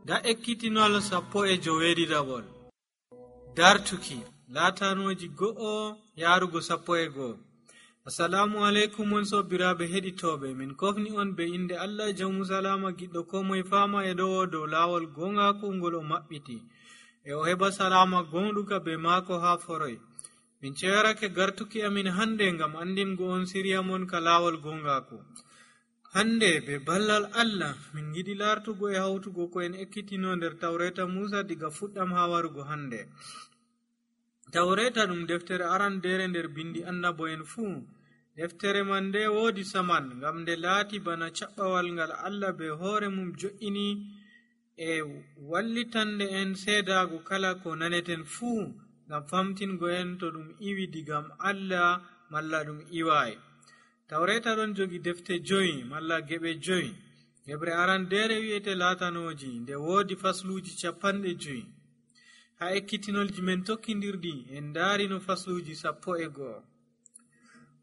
da ekkitinol 17 dartuki latanoji 1 yarugo 11. Assalamu alaikum on sobiraɓe heɗitoɓe, min kofni on be inde Allah jawmu salama giɗɗo ko moye fama e ɗo dow lawol gongaku ngol o maɓɓiti e o heɓa salama gonɗuka be maako ha foroy. Min cewarake gartuki amin hande ngam andingo on siriya mon ka lawol gongaku. Hande be ballal Allah min giɗi lartugo e hawtugo ko en ekkitino nder tawreta Musa diga fuɗɗam ha warugo hande. Tawreta ɗum deftere arandere nder bindi annabo'en fuu. Deftere man nde woodi saman ngam nde laati bana caɓɓawal ngal Allah be hoore mum jo'ini e wallitande en seedago kala ko naneten fuu ngam famtingo en to ɗum iwi digam Allah malla ɗum iwai. Tawreta ɗon jogi defte 5 malla geɓe 5. Geɓre arandere wi'ete latanoji, nde woodi fasluji 50. ha ekkitinolji men tokkidirɗi en darino fasluji 11.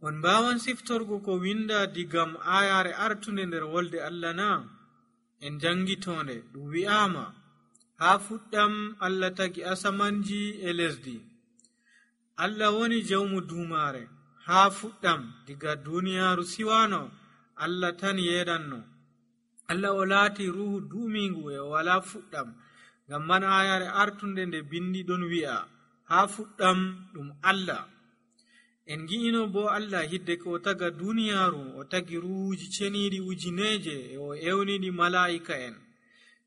on mbawan siftorgo ko winda digam ayare artunde nder wolde Allah na? En jangitonde ɗum wi'ama ha fuɗɗam Allah tagi asamanji e lesdi. Allah woni jawmu dumare. ha fuɗɗam diga duniyaru siwano Allah tan yeɗanno. Allah o laati ruhu dumingu e o wala fuɗɗam. ngam man ayare artunde nde bindi ɗon wi'a ha fuɗɗam ɗum Allah. en gi'ino bo Allah hidde ko o taga duniyaru o tagi ruhuji ceniɗi ujineje e o ewniɗi mala'ika en.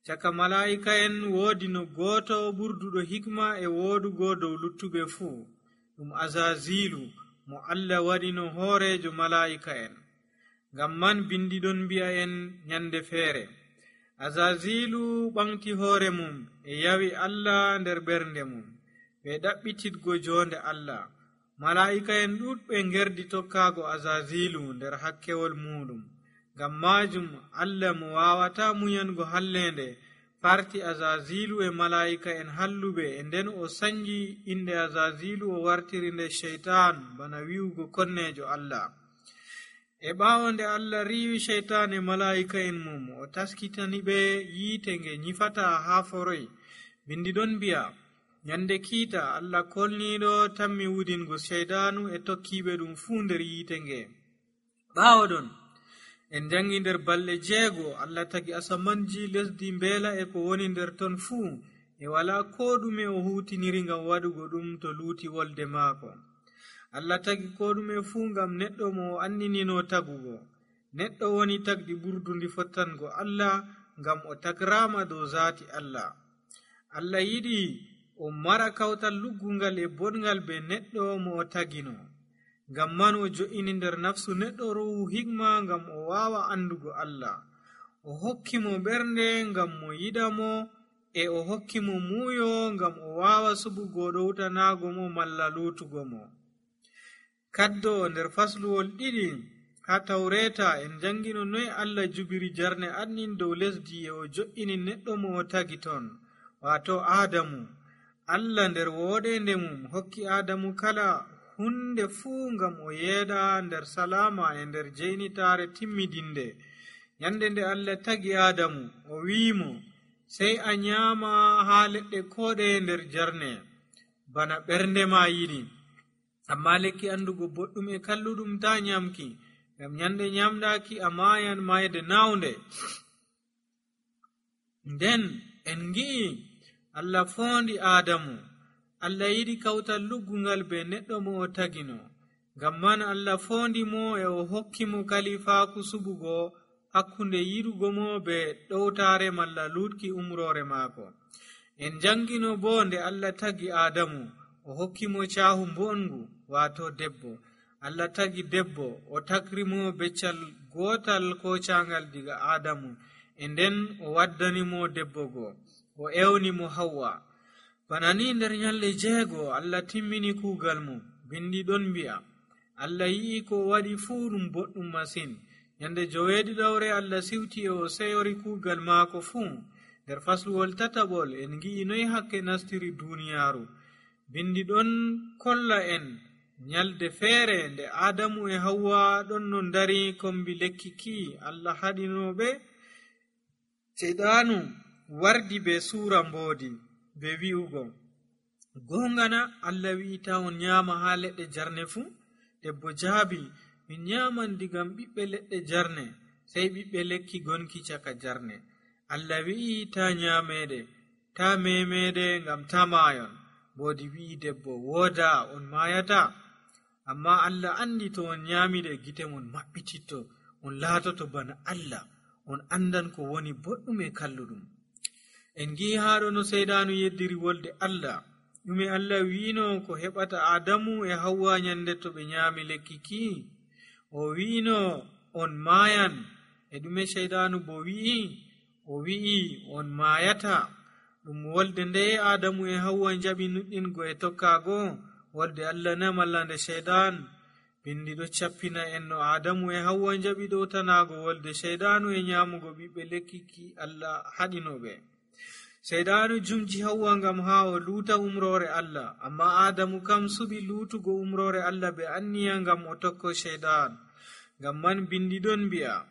caka mala'ika en woodi no goto ɓurduɗo hikma e wodugo dow luttuɓe fuu, ɗum Azazilu mo Allah waɗino hoorejo mala'ika en. ngam man bindi ɗon mbi'a en nyande feere Azazilu ɓamti hoore mum e yawi Allah nder ɓernde mum ɓe ɗaɓɓititgo jonde Allah. mala'ika en ɗuɗɓe ngerdi tokkago Azazilu nder hakkewol muɗum. ngam majum Allah mo wawata muyango hallende farti Azazilu e mala'ika en halluɓe, e nden o sanji inde Azazilu o wartiri nde shaitan bana wi'ugo konnejo Allah. e ɓawo nde Allah riwi shaitan e mala'ika en mum o taskitani ɓe yiite nge nyifata ha foroy. bindi ɗon mbi'a nyande kiita Allah kolniɗo tammi wudingo shaitanu e tokkiɓe ɗum fuu nder yiite nge. ɓawo ɗon en jangi nder balɗe 6 Allah tagi asamanji, lesdi, mbeela e ko woni nder ton fuu, e wala ko ɗume o hutiniri ngam waɗugo ɗum to luuti wolde maako. Allah tagi ko ɗume fuu ngam neɗɗo mo o andinino tagugo. neɗɗo woni tagdi ɓurdundi fottango Allah ngam o tagrama dow zaati Allah. Allah yiɗi o mara kawtal luggungal e boɗngal be neɗɗo mo o tagino. ngam man o jo'ini nder nafsu neɗɗo ruhu hikma ngam o wawa andugo Allah. o hokki mo ɓernde ngam mo yiɗa mo, e o hokki mo muuyo ngam o wawa suɓugo ɗowtanago mo malla lutugo mo. kaddo nder fasluwol 2 ha tawreta en jangino noy Allah jubiri jarne annin dow lesdi e o jo'ini neɗɗo mo o tagi ton, wato Adamu. Allah nder woɗende mum hokki Adamu kala hunde fuu ngam o yeeɗa nder salama e nder jeynitare timmidinde. nyande nde Allah tagi Adamu o wi'imo sey a nyama ha leɗɗe koɗe nder jarne bana ɓernde ma yiɗi, amma lekki andugo boɗɗum e kalluɗum ta nyamki, ngam nyande nyamɗaki a mayan mayde nawnde. nden en gi'i Allah fondi Adamu. Allah yiɗi kawtal luggungal be neɗɗo mo o tagino. ngam man Allah fondi mo e o hokki mo kalifaku suɓugo hakkunde yiɗugo mo be ɗowtare malla lutki umrore maako. en jangino bo nde Allah tagi Adamu o hokki mo cahu mbongu, wato debbo. Allah tagi debbo o tagri mo beccal gotal ko cangal diga Adamu, e nden o waddani mo debbo go, o ewni mo Hawwa. bana ni nder nyalɗe 6 Allah timmini kuugal mum. bindi ɗon mbi'a Allah yi'i ko waɗi fuu ɗum boɗɗum masin. nyande 7 Allah siwti e o seyori kuugal maako fuu. nder fasluwol 3 en gi'i noy hakke nastiri duniyaru. bindi ɗon kolla en nyalde feere nde Adamu e Hawwa ɗon no dari kombi lekki ki Allah haɗinoɓe. Seydanu wardi be suura mboodi be wi'ugo gongana Allah wi'ita on nyama ha leɗɗe jarne fuu. Debbo jaabi, min nyaman digam ɓiɓɓe leɗɗe jarne sey ɓiɓɓe lekki gonki caka jarne. Allah wi'i ta nyamede, ta memede ngam ta maayon. Mboodi wi'i debbo, wooda on maayata. Amma Allah andi to on nyamide gite mon maɓɓititto, on laatoto bana Allah, on andan ko woni boɗɗum e kalluɗum. En gi'i haɗo no seyɗanu yeddiri wolde Allah. ɗume Allah wi'ino ko heɓata Adamu e Hawwa nyande to ɓe nyami lekki ki? O wi'ino on maayan. E ɗume seyɗanu bo wi'i? O wi'i on maayata. ɗum wolde nde Adamu e Hawwa jaɓi nuɗɗingo e tokkago? Wolde Allah na malla nde seyɗan? Bindi ɗo cappina en no Adamu e Hawwa jaɓi ɗowtanago wolde seyɗanu e nyamugo ɓiɓɓe lekki ki Allah haɗinoɓe. Seyɗanu jumji Hawwa ngam ha o luuta umrore Allah, amma Adamu kam suɓi luutugo umrore Allah be anniya ngam o tokko seyɗan. Ngam man bindi ɗon mbi'a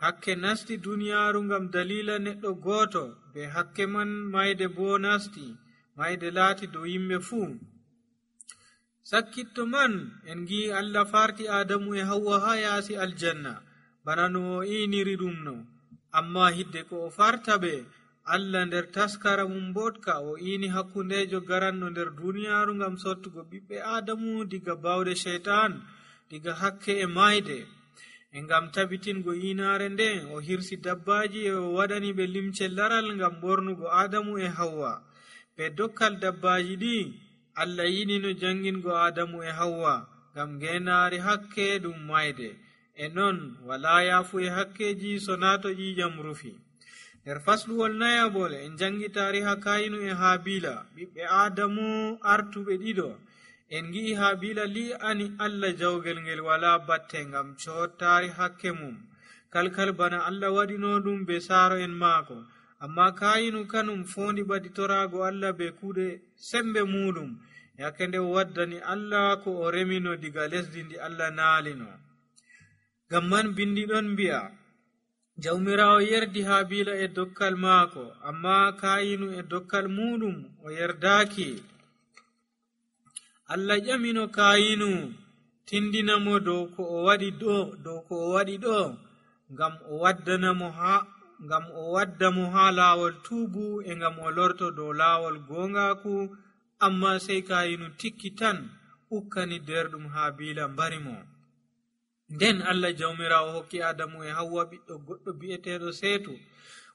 hakke nasti duniyaaru ngam dalila neɗɗo gooto, be hakke man mayde bo nasti, mayde laati dow yimɓe fuu. Sakkitto man en gi'i Allah farti Adamu e Hawwa ha yaasi aljanna bana no o iniri ɗum no. Amma hidde ko o farta ɓe, Allah nder taskara mum botka o ini hakkundejo garanno nder duniyaaru ngam sottugo ɓiɓɓe Adamu diga bawde sheytan, diga hakke e mayde. E ngam tabitingo inaare nde o hirsi dabbaji e o waɗani ɓe limce laral ngam bornugo Adamu e Hawwa. Be dokkal dabbaji ɗi Allah yiɗi no jangingo Adamu e Hawwa ngam ngenaari hakke ɗum mayde. E non wala yaafu e hakkeji so nato ƴiƴam rufi. Nder fasluwol nayabol en jangi tariha Kayinu e Habila, ɓiɓɓe Adamu artuɓe ɗiɗo. En gi'i Habila li'ani Allah jawgel ngel wala batte ngam cottari hakke mum, kalkal bana Allah waɗino ɗum be saaro en maako. Amma Kayinu kanum fondi ɓaditorago Allah be kuuɗe sembe muɗum, yake nde waddani Allah ko o remino diga lesdi ndi Allah naalino. Ngam man bindi ɗon mbi'a jawmirawo yerdi Habila e dokkal maako, amma Kayinu e dokkal muɗum o yerdaki. Allah ƴamino Kayinu, tindinamo dow ko o waɗi ɗo ngam o wadda mo ha laawol tuubu e ngam o lorto dow laawol gongaku. Amma sey Kayinu tikki tan ukkani derɗum Habila mbarimo. Nden Allah jawmirawo hokki Adamu e Hawwa ɓiɗɗo goɗɗo bi'eteɗo Seetu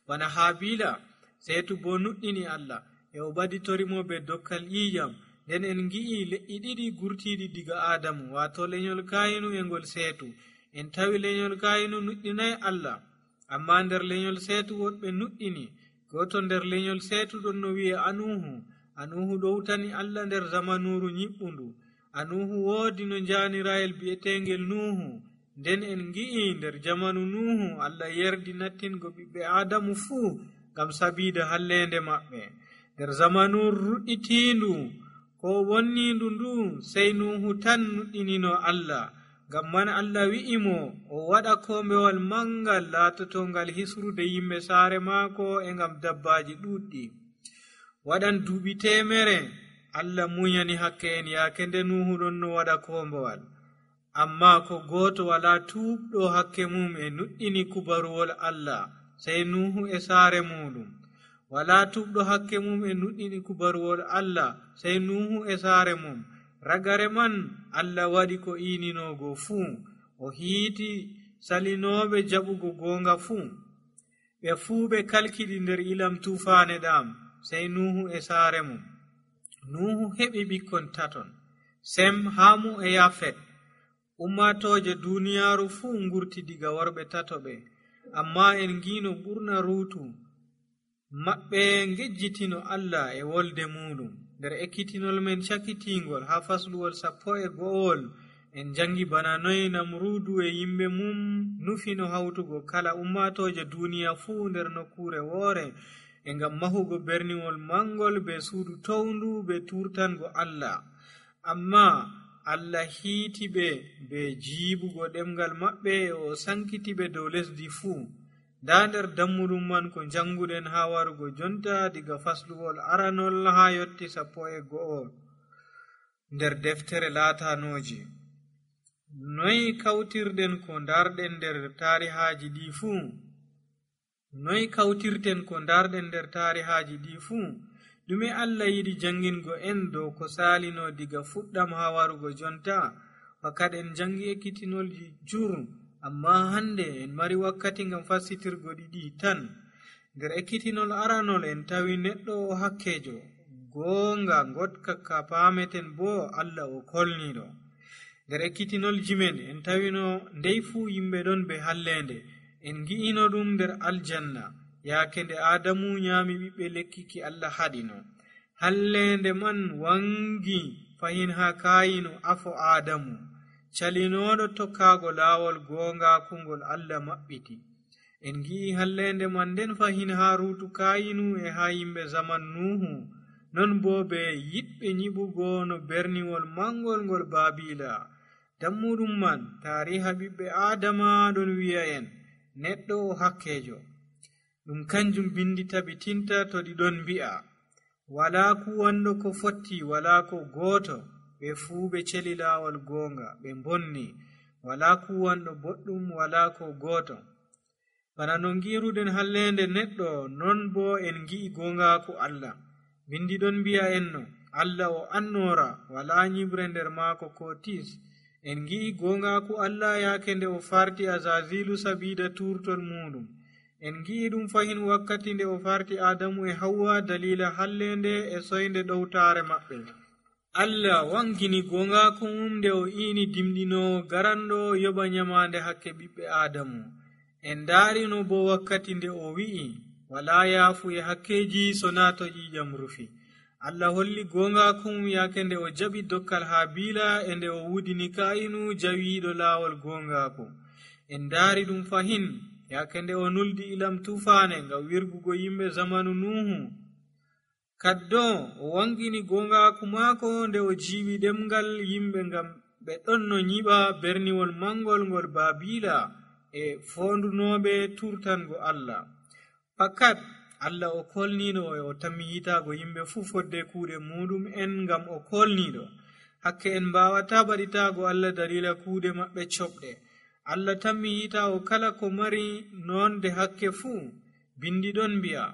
bana Habila. Seetu bo nuɗɗini Allah e o ɓaditorimo be dokkal ƴiƴam. Nden en gi'i leƴƴi ɗiɗi gurtiɗi diga Adamu, wato lenyol Kayinu e ngol Seetu. En tawi lenyol Kayinu nuɗɗinay Allah, amma nder lenyol Seetu woɗɓe nuɗɗini. Goto nder lenyol Seetu ɗon no wi'e Anuhu. Anuhu ɗowtani Allah nder zamanuru nyiɓɓundu. Anuhu woodi no njanirayel bi'etengel Nuhu. Nden en gi'i nder jamanu Nuhu Allah yerdi nattingo ɓiɓɓe Adamu fuu ngam sabida hallende maɓɓe. Nder zamanuru ruɗɗitindu ko wonnindu ndu sey Nuhu tan nuɗɗinino Allah. Ngam man Allah wi'imo o waɗa kombewal mangal laatotongal hisrude yimɓe saare maako e ngam dabbaji ɗuɗɗi. Waɗan duuɓi 100 Allah munyani hakke en yaake nde Nuhu ɗon no waɗa kombewal. Amma ko gooto wala tuubɗo hakke mum e nuɗɗini kubaruwol Allah sey Nuhu e saare muɗum. Wala tuubɗo hakke mum e nuɗɗini kubaruwol Allah sey Nuhu e saare mum. Ragare man Allah waɗi ko ininogo fuu, o hiiti salinoɓe jaɓugo gonga fuu. Ɓe fuu ɓe kalkiɗi nder ilam tufaane ɗam sey Nuhu e saare mum. Nuhu heɓi ɓikkon 3, Sem, Hamu e Yafet. Ummatoje duniyaaru fuu ngurti diga worɓe 3 ɓe, amma en ngino ɓurna ruutu maɓɓe ngejjitino Allah e wolde muɗum. Nder ekkitinol men cakitingol ha fasluwol 11 en jangi bana noy Namrudu e yimɓe mum nufino hawtugo kala ummatoje duniya fuu nder nokkure woore e ngam mahugo berniwol mangol be suudu towndu be turtango Allah. Amma Allah hiiti ɓe be jiibugo ɗemgal maɓɓe e o sankiti ɓe dow lesdi fuu. nda nder dammuɗum man ko janguɗen ha warugo jonta diga fasluwol aranol ha yotti 11 nder deftere laatanoji. Noy kawtirden ko darɗen nder tarihaji ɗi fuu? Noy kawtirten ko darɗen nder tarihaji ɗi fuu? ɗume Allah yiɗi jangingo en dow ko salino diga fuɗɗam ha warugo jonta? Fakat en jangi ekkitinolji jur, amma hande en mari wakkati ngam fassitirgo ɗiɗi tan. Nder ekkitinol aranol en tawi neɗɗo o hakkejo, goonga gotka ka pameten bo Allah o kolniɗo. Nder ekkitinolji men en tawino ndey fuu yimɓe ɗon be hallende. En gi'ino ɗum nder aljanna yaake nde Adamu nyami ɓiɓɓe lekki ki Allah haɗino. Hallende man wangi fahin ha kayino afo Adamu, calinoɗo tokkago laawol goongakungol Allah maɓɓiti. En gi'i hallende man nden fahin ha ruutu kayinu e ha yimɓe zaman Nuhu, non bo be yiɗɓe nyiɓugo no berniwol mangol ngol Babila. Dammuɗum man tariha ɓiɓɓe Adama ɗon wi'a en neɗɗo o hakkejo. Ɗum kanjum bindi tabitinta to ɗi ɗon mbi'a wala kuwanɗo ko fotti, wala ko gooto, ɓe fuu ɓe celi laawol goonga, ɓe bonni. Wala kuwanɗo boɗɗum, wala ko gooto. Bana no giruɗen hallende neɗɗo, non bo en gi'i goongaku Allah. Bindi ɗon mbi'a en no Allah o annora, wala nyibre nder maako ko tis. En gi'i goongaku Allah yaake nde o farti Azazilu sabida turtol muɗum. En gi'i ɗum fahin wakkati nde o farti Adamu e Hawwa dalila hallende e soynde ɗowtare maɓɓe. Allah wangini goongaku mum nde o ini dimɗinowo garanɗo yoɓa nyamande hakke ɓiɓɓe Adamu. En darino bo wakkati nde o wi'i wala yaafu e hakkeji sona to ƴiƴam rufi. Allah holli goongaku mum yaake nde o jaɓi dokkal Habila e nde o wudini Kayinu jawiɗo laawol goongaku. En daari ɗum fahin yaake nde o nuldi ilam tufane ngam wirgugo yimɓe zamanu Nuhu. Kaddo o wangini goongaku maako nde o jiiɓi ɗemgal yimɓe ngam ɓe ɗon no nyiɓa berniwol mangol ngol Babila e fondunoɓe turtango Allah. Fakat Allah o kolniɗo e o tammi yitago yimɓe fuu fodde kuuɗe muɗum en ngam o kolniɗo. Hakke en mbawata baɗitago Allah dalila kuuɗe maɓɓe coɓɗe. Allah tammi yitago kala ko mari nonde hakke fuu. Bindi ɗon mbi'a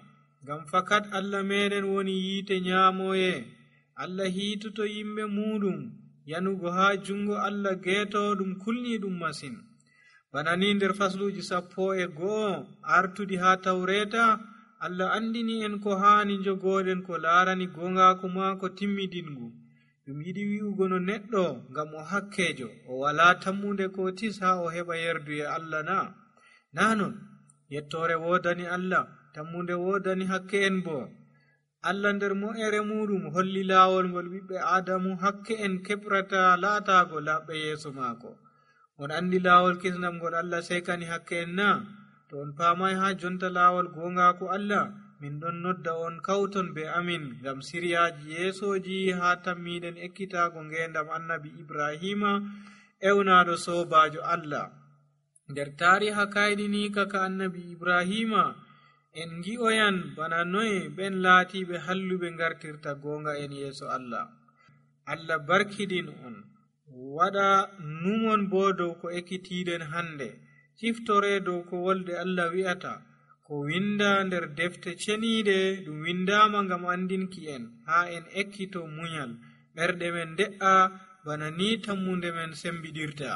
ngam fakat Allah meɗen woni yiite nyamoye. Allah hiitoto yimɓe muɗum yanugo ha jungo Allah geeto ɗum kulni ɗum masin. Bana ni nder fasluji 11 artuɗi ha Tawreta, Allah andini en ko hani jogoɗen ko larani goongaku maako timmidingu. Ɗum yiɗi wi'ugo no neɗɗo ngam o hakkejo o wala tammunde ko tis ha o heɓa yerdu e Allah na. Nanon yettore wodani Allah, tammunde wodani hakke en bo. Allah nder mo'ere muɗum holli laawol ngol ɓiɓɓe Adamu hakke en keɓrata laatago laɓɓe yeeso maako. On andi laawol kisnam ngol Allah sekani hakke en na? To on paamai ha jonta laawol goongaku Allah, min ɗon nodda on kawton be amin ngam siryaji yeesoji ha tammiɗen ekkitago ngendam annabi Ibrahima ewnaɗo sobajo Allah. Nder tariha kayɗini kaka annabi Ibrahima en gi'oyan bana noye ɓen laatiɓe halluɓe ngartirta goonga en yeeso Allah. Allah barkidin on, waɗa numon bo dow ko ekkitiɗen hande. Ciftore dow ko wolde Allah wi'ata ko winda nder defte ceniɗe ɗum windama ngam andinki en ha en ekkito munyal, ɓerɗe men de'a bana ni tammunde men sembiɗirta.